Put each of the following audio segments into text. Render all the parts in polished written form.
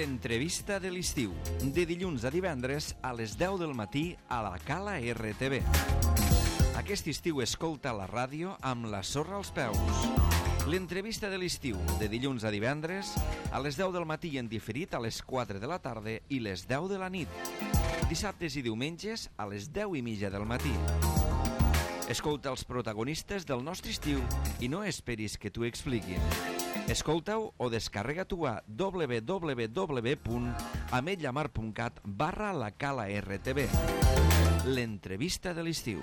L'entrevista de l'estiu, de dilluns a divendres a les 10 del matí a la Cala RTV. Aquest estiu escolta la ràdio amb la sorra als peus. L'entrevista de l'estiu, de dilluns a divendres a les 10 del matí en diferit a les 4 de la tarda i les 10 de la nit. Dissabtes i diumenges a les 10:30 del matí. Escolta els protagonistes del nostre estiu i no esperis que t'ho expliquin. Escolta-ho o descarrega-t'ho a www.ametlllamar.cat/la Cala RTV. L'entrevista de l'estiu.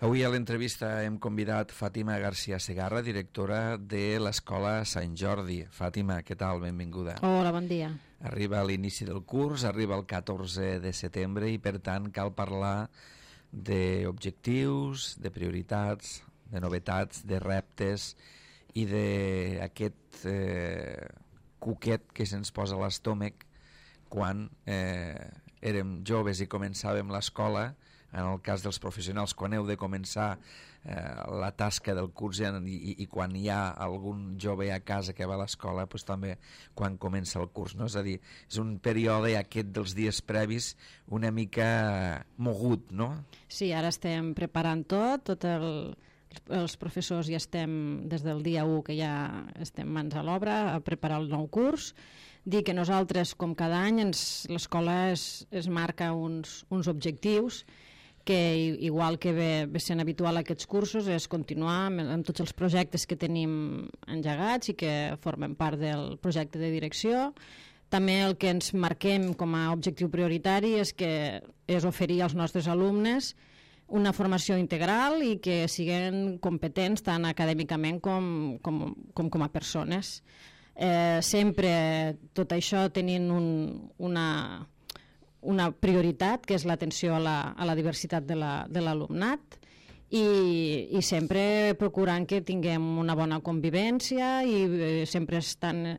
Avui a l'entrevista hem convidat Fàtima García Segarra, directora de l'Escola Sant Jordi. Fàtima, què tal? Benvinguda. Hola, bon dia. Arriba a l'inici del curs, arriba el 14 de setembre i, per tant, cal parlar d'objectius, de prioritats, de novetats, de reptes i d'aquest cuquet que se'ns posa a l'estómac quan érem joves i començàvem l'escola. En el cas dels professionals, quan heu de començar la tasca del curs i quan hi ha algun jove a casa que va a l'escola, doncs també quan comença el curs, no? És a dir, és un període aquest dels dies previs una mica mogut, no? Sí, ara estem preparant els professors ja estem des del dia 1 que ja estem mans a l'obra a preparar el nou curs. Dir que nosaltres, com cada any, l'escola es marca uns objectius que, igual que ve sent habitual aquests cursos, és continuar amb tots els projectes que tenim engegats i que formen part del projecte de direcció. També el que ens marquem com a objectiu prioritari és oferir als nostres alumnes una formació integral i que siguin competents tant acadèmicament com a persones. Sempre tot això tenint una prioritat, que és l'atenció a la diversitat de l'alumnat, i sempre procurant que tinguem una bona convivència i sempre estan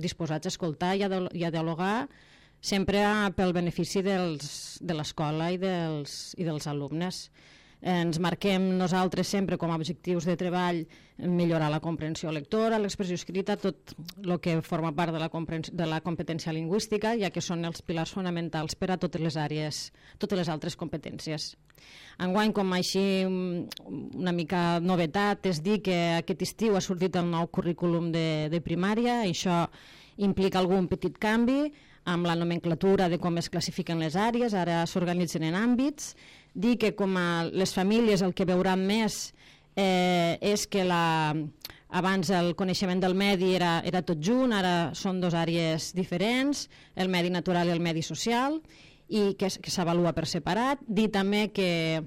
disposats a escoltar i a dialogar, sempre pel benefici de l'escola i dels alumnes. Ens marquem nosaltres sempre com a objectius de treball millorar la comprensió lectora, l'expressió escrita, tot el que forma part de la competència lingüística, ja que són els pilars fonamentals per a totes les àrees, totes les altres competències. Enguany, com així una mica novetat, és dir que aquest estiu ha sortit el nou currículum de primària. Això implica algun petit canvi amb la nomenclatura de com es classifiquen les àrees, ara s'organitzen en àmbits. Dir que com a les famílies el que veuran més és que abans el coneixement del medi era tot junt, ara són dues àrees diferents, el medi natural i el medi social, i que s'avalua per separat. Dir també que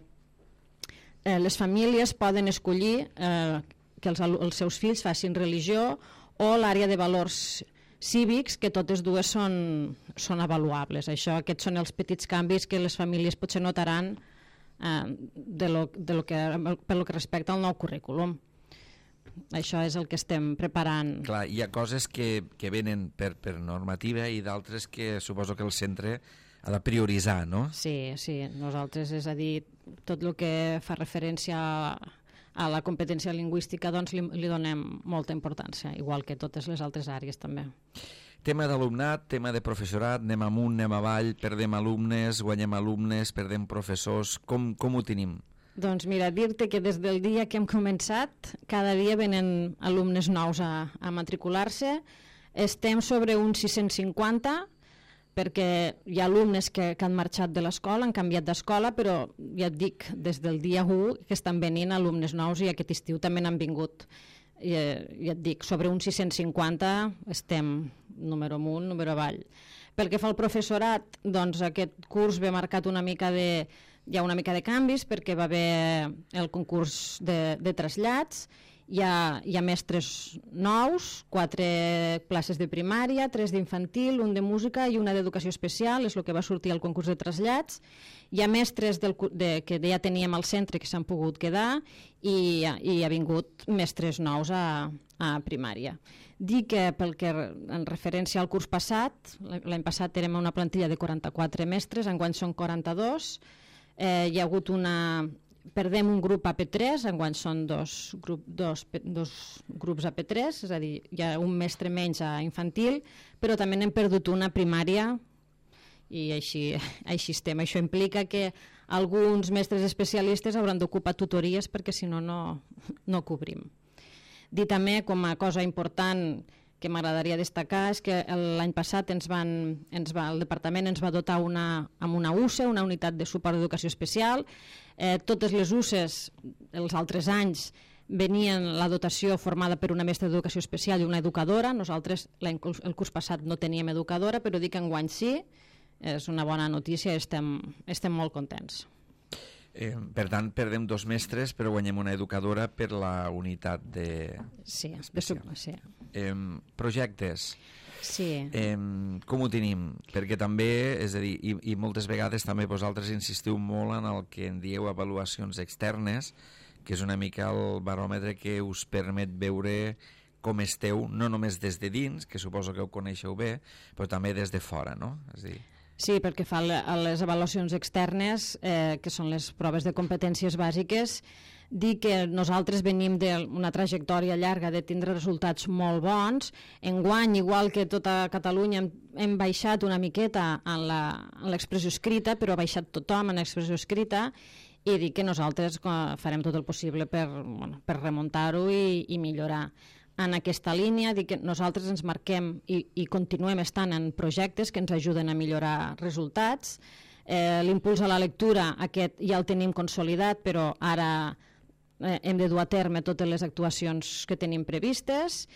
les famílies poden escollir que els seus fills facin religió o l'àrea de valors cívics, que totes dues són avaluables. Aquests són els petits canvis que les famílies potser notaran pel que respecta al nou currículum. Això és el que estem preparant. Clar, hi ha coses que venen per normativa i d'altres que suposo que el centre ha de prioritzar, no? Sí, nosaltres, és a dir, tot el que fa referència a la competència lingüística, doncs li donem molta importància, igual que totes les altres àrees també. Tema d'alumnat, tema de professorat, anem amunt, anem avall, perdem alumnes, guanyem alumnes, perdem professors, com ho tenim? Doncs mira, dir-te que des del dia que hem començat, cada dia venen alumnes nous a matricular-se, estem sobre uns 650, perquè hi ha alumnes que han marxat de l'escola, han canviat d'escola, però ja et dic, des del dia 1 que estan venint alumnes nous i aquest estiu també n'han vingut. Ja et dic, sobre uns 650 estem número amunt, número avall. Pel que fa al professorat, doncs aquest curs ve marcat hi ha una mica de canvis perquè va haver el concurs de trasllats. Hi ha mestres nous, 4 classes de primària, 3 d'infantil, 1 de música i 1 d'educació especial, és el que va sortir al concurs de trasllats. Hi ha mestres que ja teníem al centre que s'han pogut quedar i ha vingut mestres nous a primària. Dir que pel que en referència al curs passat, l'any passat érem una plantilla de 44 mestres, enguany són 42. hi ha hagut perdem un grup AP3, enguany són dos grups AP3, és a dir, hi ha un mestre menys a infantil, però també n'hem perdut una primària i així estem. Això implica que alguns mestres especialistes hauran d'ocupar tutories perquè si no, no cobrim. Dir també, com a cosa important que m'agradaria destacar, és que l'any passat el departament ens va dotar amb una UCE, una unitat de suport d'educació especial. Totes les UCEs, els altres anys, venien la dotació formada per una mestra d'educació especial i una educadora. Nosaltres el curs passat no teníem educadora, però dic que enguany sí, és una bona notícia, estem molt contents. Per tant, perdem 2 mestres, però guanyem una educadora per la unitat de... Sí. Projectes. Sí. Com ho tenim? Perquè també, és a dir, i moltes vegades també vosaltres insistiu molt en el que en dieu avaluacions externes, que és una mica el baròmetre que us permet veure com esteu, no només des de dins, que suposo que ho coneixeu bé, però també des de fora, no? És a dir... Sí, perquè fa les avaluacions externes, que són les proves de competències bàsiques, dir que nosaltres venim d'una trajectòria llarga de tindre resultats molt bons. Enguany, igual que tota Catalunya, hem baixat una miqueta en l'expressió escrita, però ha baixat tothom en l'expressió escrita, i dir que nosaltres farem tot el possible per remuntar-ho i millorar. En aquesta línia, dir que nosaltres ens marquem i continuem estant en projectes que ens ajuden a millorar resultats. L'impuls a la lectura, aquest ja el tenim consolidat, però ara hem de dur a terme totes les actuacions que tenim previstes.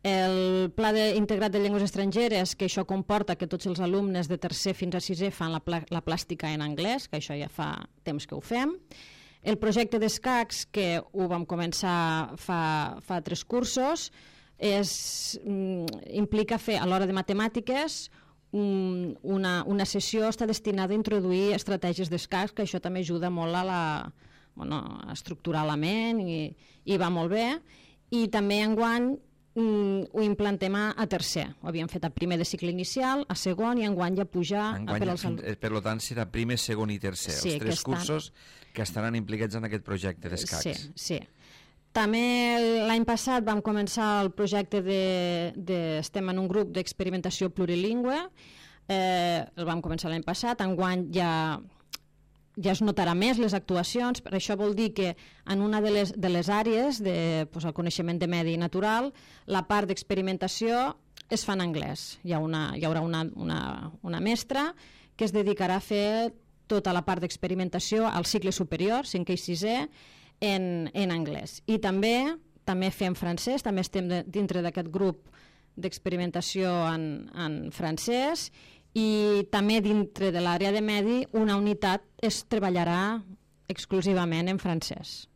El Pla Integrat de Llengües Estrangeres, que això comporta que tots els alumnes de tercer fins a sisè fan la plàstica en anglès, que això ja fa temps que ho fem. El projecte d'escacs, que ho vam començar fa 3 cursos, implica fer, a l'hora de matemàtiques, una sessió està destinada a introduir estratègies d'escacs, que això també ajuda molt a estructurar la ment i va molt bé. I també enguany ho implantem a tercer. Ho havíem fet a primer de cicle inicial, a segon, i enguany ja pujar... Per tant, serà primer, segon i tercer, els 3 cursos que estaran implicats en aquest projecte d'escacs. Sí. També l'any passat vam començar el projecte estem en un grup d'experimentació plurilingüe, el vam començar l'any passat, enguany ja es notarà més les actuacions, per això vol dir que en una de les àrees, el coneixement de medi natural, la part d'experimentació es fa en anglès. Hi haurà una mestra que es dedicarà a fer tota la part d'experimentació al cicle superior, 5è i 6è, en anglès. I també fem francès, també estem dintre d'aquest grup d'experimentació en francès, i també dintre de l'àrea de medi una unitat es treballarà exclusivament en francès.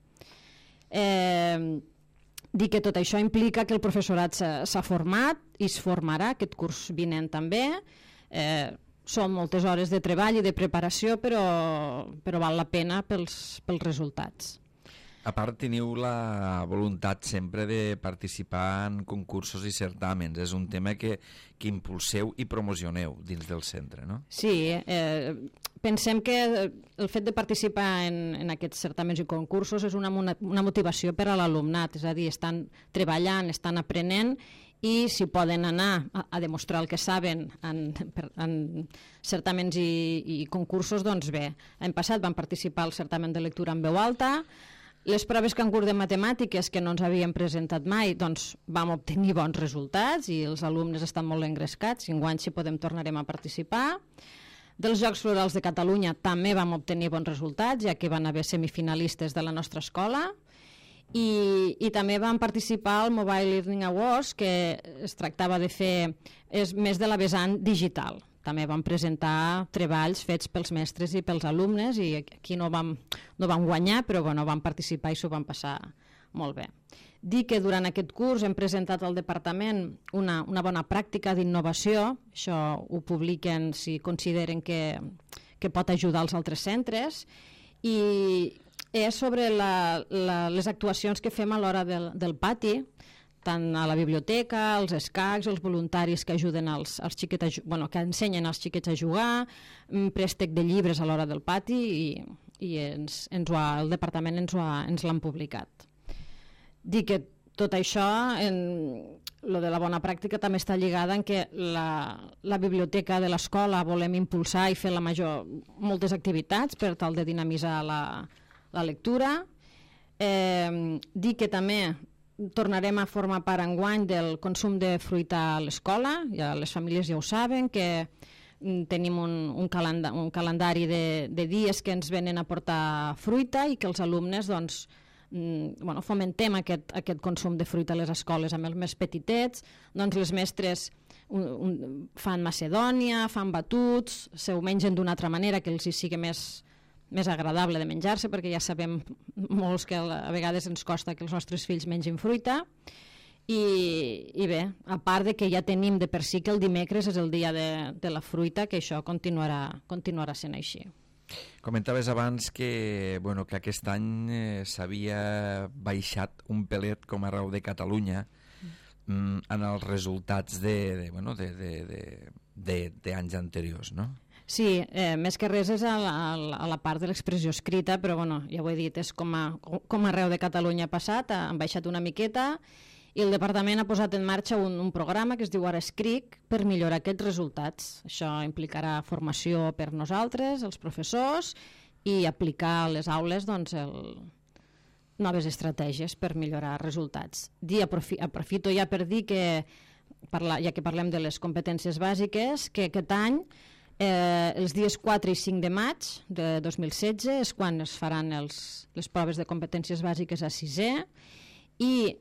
Dir que tot això implica que el professorat s'ha format i es formarà aquest curs vinent també. Són moltes hores de treball i de preparació, però val la pena pels resultats. A part, teniu la voluntat sempre de participar en concursos i certàmens. És un tema que impulseu i promocioneu dins del centre, no? Sí, pensem que el fet de participar en aquests certàmens i concursos és una motivació per a l'alumnat, és a dir, estan treballant, estan aprenent, i si poden anar a demostrar el que saben en certàmens i concursos, doncs bé. L'any passat vam participar al certamen de lectura en veu alta. Les proves concurs de matemàtiques, que no ens havíem presentat mai, doncs vam obtenir bons resultats i els alumnes estan molt engrescats, i enguany si podem tornarem a participar. Dels Jocs Florals de Catalunya també vam obtenir bons resultats, ja que van haver semifinalistes de la nostra escola, i també vam participar al Mobile Learning Awards, que es tractava de fer més de la vessant digital. També vam presentar treballs fets pels mestres i pels alumnes, i aquí no vam guanyar, però vam participar i s'ho vam passar molt bé. Dir que durant aquest curs hem presentat al departament una bona pràctica d'innovació, això ho publiquen si consideren que pot ajudar els altres centres, i és sobre les actuacions que fem a l'hora del pati, tant a la biblioteca, els escacs, els voluntaris que ajuden els xiquets, que ensenyen als xiquets a jugar, préstec de llibres a l'hora del pati, el departament ens l'han publicat. Dic que tot això, lo de la bona pràctica també està lligada en que la biblioteca de l'escola volem impulsar i fer moltes activitats per tal de dinamitzar la lectura. Dic que també tornarem a formar part enguany del consum de fruita a l'escola, ja les famílies ja ho saben, que tenim un calendari de dies que ens venen a portar fruita i que els alumnes fomentem aquest consum de fruita a les escoles amb els més petitets. Doncs les mestres fan macedònia, fan batuts, se ho mengen d'una altra manera que els hi sigui més agradable de menjar-se, perquè ja sabem molts que a vegades ens costa que els nostres fills mengin fruita. I bé, a part de que ja tenim de per si que el dimecres és el dia de la fruita, que això continuarà sent així. Comentaves abans que aquest any s'havia baixat un pelet com arreu de Catalunya en els resultats d'anys anteriors, no? Sí, més que res és a la part de l'expressió escrita, però ja ho he dit, és com arreu de Catalunya ha passat, han baixat una miqueta, i el departament ha posat en marxa un programa que es diu Ara Escric per millorar aquests resultats. Això implicarà formació per nosaltres, els professors, i aplicar a les aules noves estratègies per millorar resultats. Aprofito ja per dir que, ja que parlem de les competències bàsiques, que aquest any, els dies 4 i 5 de maig de 2016 és quan es faran les proves de competències bàsiques a 6è, i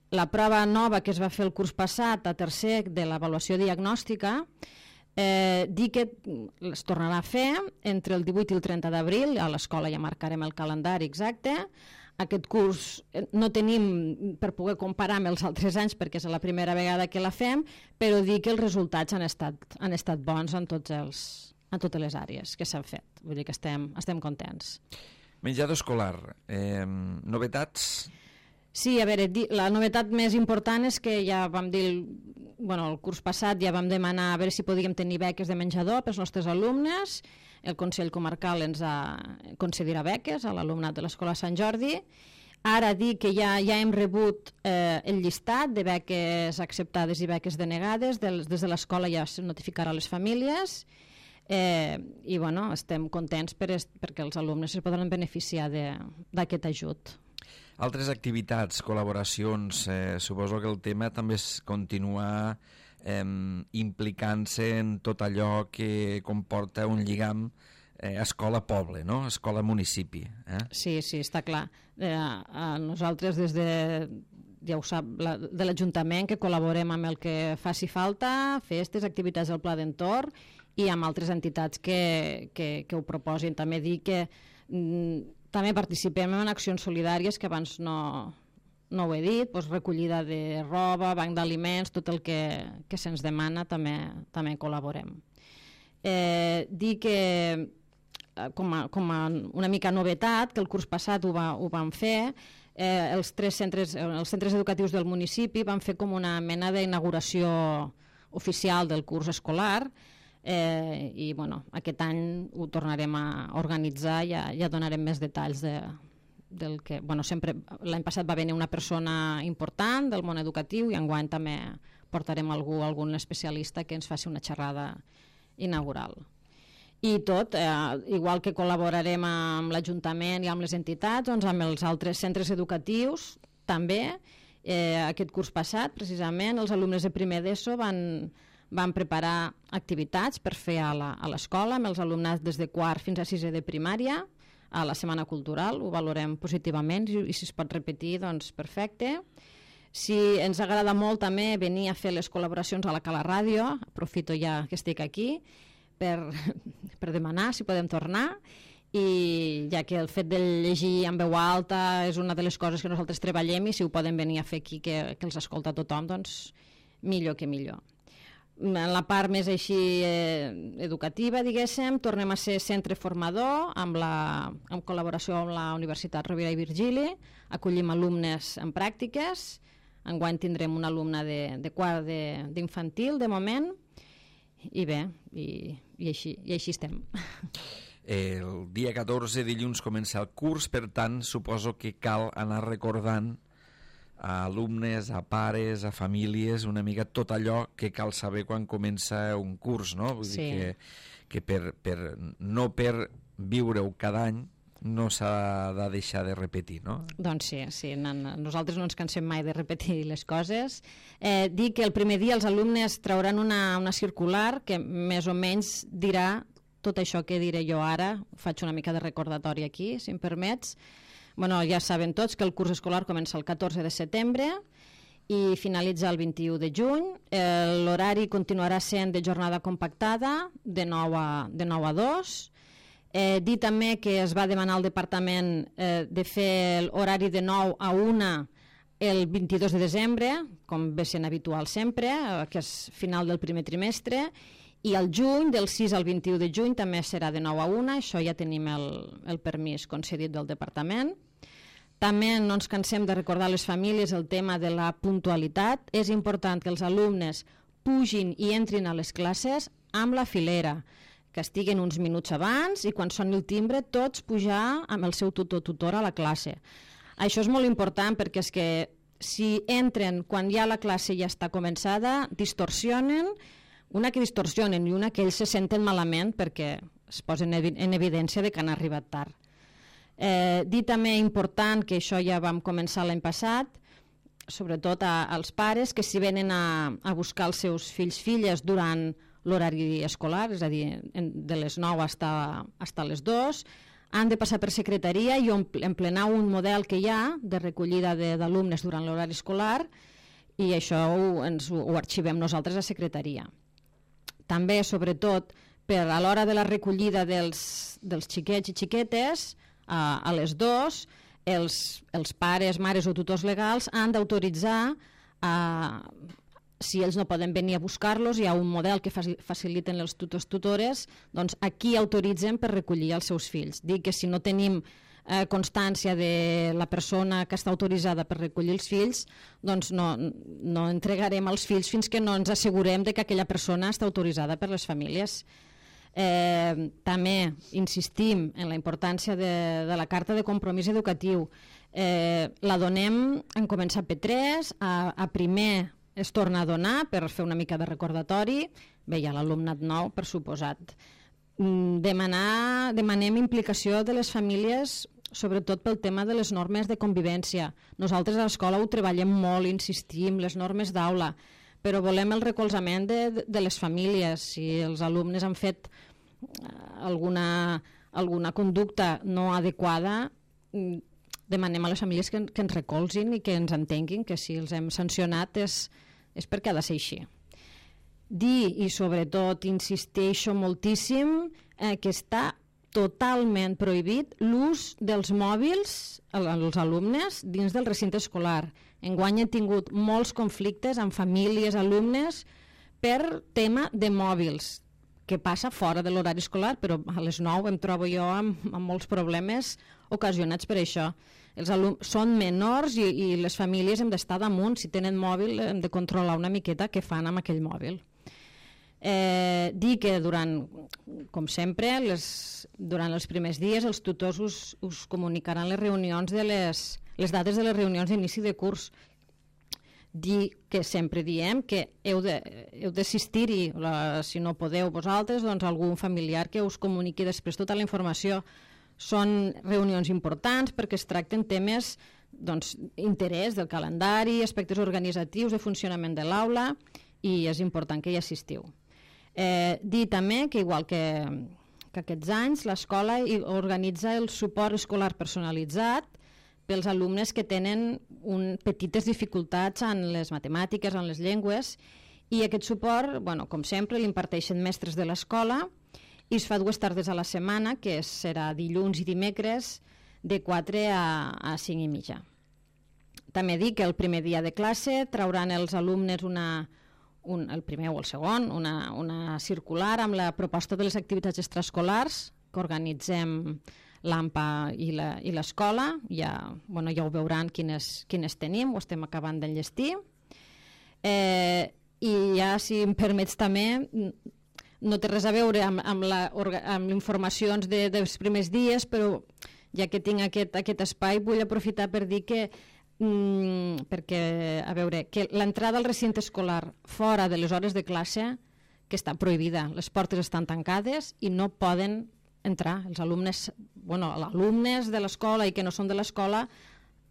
la prova nova que es va fer el curs passat a tercer de l'avaluació diagnòstica, dir que es tornarà a fer entre el 18 i el 30 d'abril, a l'escola ja marcarem el calendari exacte. Aquest curs no tenim per poder comparar amb els altres anys perquè és la primera vegada que la fem, però dir que els resultats han estat bons en totes les àrees que s'han fet. Vull dir que estem contents. Menjador escolar, novetats? Sí, a veure, la novetat més important és que ja vam dir, el curs passat ja vam demanar a veure si podíem tenir beques de menjador pels nostres alumnes. El Consell Comarcal ens concedirà beques a l'alumnat de l'Escola Sant Jordi. Ara dir que ja hem rebut el llistat de beques acceptades i beques denegades, des de l'escola ja es notificarà a les famílies, i estem contents perquè els alumnes es podran beneficiar d'aquest ajut. Altres activitats, col·laboracions, suposo que el tema també és continuar implicant-se en tot allò que comporta un lligam escola-poble, no? Escola-municipi. Sí, està clar. Nosaltres des ja ho sap, de l'Ajuntament, que col·laborem amb el que faci falta, festes, activitats del Pla d'Entorn i amb altres entitats que ho proposin. També dir que també participem en accions solidàries que abans no ho he dit, recollida de roba, banc d'aliments, tot el que se'ns demana també col·laborem. Dir que com a una mica novetat, que el curs passat ho vam fer, els centres educatius del municipi van fer com una mena d'inauguració oficial del curs escolar, i aquest any ho tornarem a organitzar, ja donarem més detalls del que sempre l'any passat va venir una persona important del món educatiu i enguany també portarem algun especialista que ens faci una xerrada inaugural. I tot, igual que col·laborarem amb l'Ajuntament i amb les entitats, amb els altres centres educatius també. Aquest curs passat, precisament, els alumnes de primer d'ESO van preparar activitats per fer a l'escola amb els alumnats des de quart fins a sisè de primària a la Setmana Cultural. Ho valorem positivament i si es pot repetir, doncs perfecte. Si ens agrada molt també venir a fer les col·laboracions a la Cala Ràdio, aprofito ja que estic aquí per demanar si podem tornar, i ja que el fet de llegir en veu alta és una de les coses que nosaltres treballem, i si ho poden venir a fer aquí que els escolta tothom, doncs millor que millor. En la part més així educativa, diguéssim, tornem a ser centre formador en col·laboració amb la Universitat Rovira i Virgili, acollim alumnes en pràctiques. Enguany tindrem una alumna de quart d'infantil, de moment, i bé, i així estem. El dia 14, dilluns, comença el curs, per tant, suposo que cal anar recordant a alumnes, a pares, a famílies, una mica tot allò que cal saber quan comença un curs, no? Vull dir que no per viure-ho cada any no s'ha de deixar de repetir, no? Doncs sí, nosaltres no ens cansem mai de repetir les coses. Dir que el primer dia els alumnes trauran una circular que més o menys dirà tot això que diré jo ara. Faig una mica de recordatori aquí, si em permets. Bueno, ja saben tots que el curs escolar comença el 14 de setembre i finalitza el 21 de juny. L'horari continuarà sent de jornada compactada, de 9 a 2. Dir també que es va demanar al departament de fer l'horari de 9 a 1 el 22 de desembre, com ve sent habitual sempre, que és final del primer trimestre, i al juny, del 6 al 21 de juny, també serà de 9 a 1, això ja tenim el permís concedit del departament. També no ens cansem de recordar a les famílies el tema de la puntualitat. És important que els alumnes pugin i entrin a les classes amb la filera, que estiguen uns minuts abans i quan soni el timbre tots pujar amb el seu tutor-tutora a la classe. Això és molt important perquè és que si entren quan ja la classe ja està començada, distorsionen, una que distorsionen i una que ells se senten malament perquè es posen en evidència de que han arribat tard. Dir també important, que això ja vam començar l'any passat, sobretot als pares, que si venen a buscar els seus fills-filles durant l'horari escolar, és a dir, de les 9 fins a les 2, han de passar per secretaria i emplenar un model que hi ha de recollida d'alumnes durant l'horari escolar i això ho arxivem nosaltres a secretaria. També, sobretot, a l'hora de la recollida dels xiquets i xiquetes, a les 2, els pares, mares o tutors legals han d'autoritzar si ells no poden venir a buscar-los, hi ha un model que faciliten els tutors-tutores, doncs aquí autoritzen per recollir els seus fills. Dic que si no tenim constància de la persona que està autoritzada per recollir els fills, doncs no entregarem els fills fins que no ens assegurem de que aquella persona està autoritzada per les famílies. També insistim en la importància de la carta de compromís educatiu. La donem en començar P3, a primer es torna a donar per fer una mica de recordatori, bé, hi ha l'alumnat nou, per suposat. Demanem implicació de les famílies, sobretot pel tema de les normes de convivència. Nosaltres a l'escola ho treballem molt, insistim, les normes d'aula, però volem el recolzament de les famílies. Si els alumnes han fet alguna conducta no adequada, demanem a les famílies que ens recolzin i que ens entenguin que si els hem sancionat és perquè ha de ser així. Dir, i sobretot insisteixo moltíssim, que està totalment prohibit l'ús dels mòbils als alumnes dins del recinte escolar. Enguany he tingut molts conflictes amb famílies, alumnes, per tema de mòbils, que passa fora de l'horari escolar, però a les 9 em trobo jo amb molts problemes ocasionats per això. Els alumnes són menors i les famílies hem d'estar damunt. Si tenen mòbil hem de controlar una miqueta què fan amb aquell mòbil. Dir que com sempre, durant els primers dies els tutors us comunicaran les reunions les dates de les reunions d'inici de curs. Dir que sempre diem que heu d'assistir-hi, si no podeu vosaltres, doncs algun familiar que us comuniqui després tota la informació. Són reunions importants perquè es tracten temes d'interès del calendari, aspectes organitzatius, de funcionament de l'aula, i és important que hi assistiu. Dir també que, igual que aquests anys, l'escola organitza el suport escolar personalitzat pels alumnes que tenen petites dificultats en les matemàtiques, en les llengües, i aquest suport, com sempre, l'imparteixen mestres de l'escola i es fa 2 tardes a la setmana, que serà dilluns i dimecres, de 4 a 5 i mitja. També dic que el primer dia de classe trauran els alumnes el primer o el segon, una circular amb la proposta de les activitats extraescolars que organitzem l'AMPA i l'escola. Ja ho veuran quines tenim, ho estem acabant d'enllestir. I ja, si em permets també, no té res a veure amb informacions dels primers dies, però ja que tinc aquest espai vull aprofitar per dir que perquè, a veure, que l'entrada al recinte escolar fora de les hores de classe que està prohibida, les portes estan tancades i no poden entrar els alumnes, alumnes de l'escola i que no són de l'escola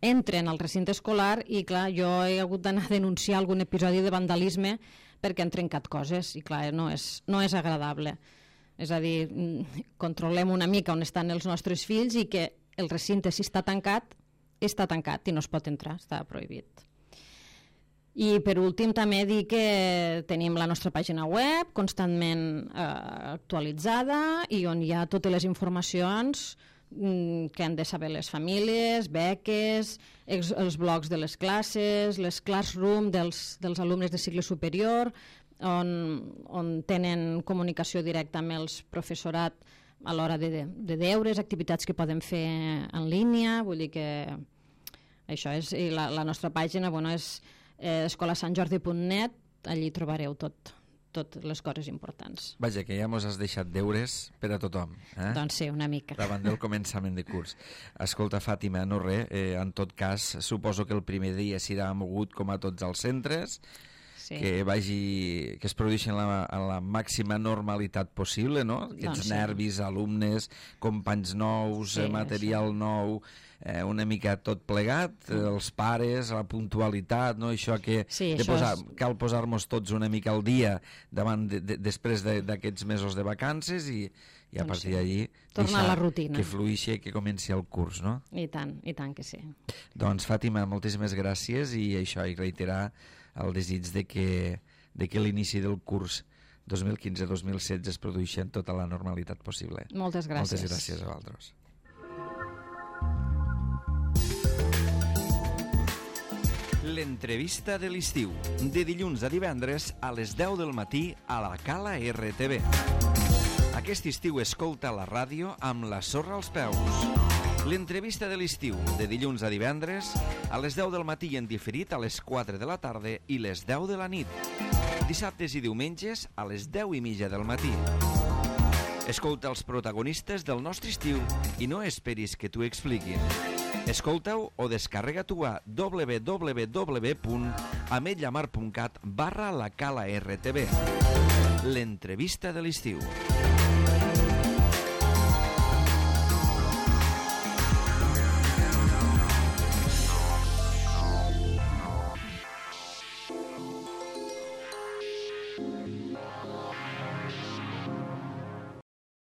entren al recinte escolar i clar, jo he hagut d'anar a denunciar algun episodi de vandalisme perquè han trencat coses i clar, no és agradable. És a dir, controlem una mica on estan els nostres fills i que el recinte, si està tancat i no es pot entrar, està prohibit. I per últim també dir que tenim la nostra pàgina web constantment actualitzada i on hi ha totes les informacions que han de saber les famílies, beques, els blogs de les classes, les classroom dels alumnes de cicle superior, on tenen comunicació directa amb els professorat a l'hora de deures, activitats que poden fer en línia, vull dir que això és, i la nostra pàgina és escolasantjordi.net, allí trobareu totes les coses importants. Vaja, que ja mos has deixat deures per a tothom. Doncs sí, una mica. Davant del començament de curs. Escolta, Fàtima, no res, en tot cas, suposo que el primer dia serà mogut com a tots els centres, sí. que es produeixi en la màxima normalitat possible, no? Aquests nervis, alumnes, companys nous, material nou, una mica tot plegat, els pares, la puntualitat, no? Això que cal posar-nos tots una mica al dia després d'aquests mesos de vacances i a partir d'allí tornar a la rutina, que fluixi i que comenci el curs, no? I tant que sí. Doncs Fàtima, moltíssimes gràcies i això, i reiterar el desig de que l'inici del curs 2015-2016 es produeixi en tota la normalitat possible. Moltes gràcies. Moltes gràcies a vosaltres. L'entrevista de l'estiu, de dilluns a divendres a les 10 del matí a la Cala RTV. Aquest estiu escolta la ràdio amb la sorra als peus. L'entrevista de l'estiu, de dilluns a divendres a les 10 del matí i en diferit a les 4 de la tarda i les 10 de la nit. Dissabtes i diumenges a les 10:30 del matí. Escolta els protagonistes del nostre estiu i no esperis que t'ho expliquin. Escolta-ho o descarrega-t'ho a www.ametllamar.cat/la Cala RTV. L'entrevista de l'estiu.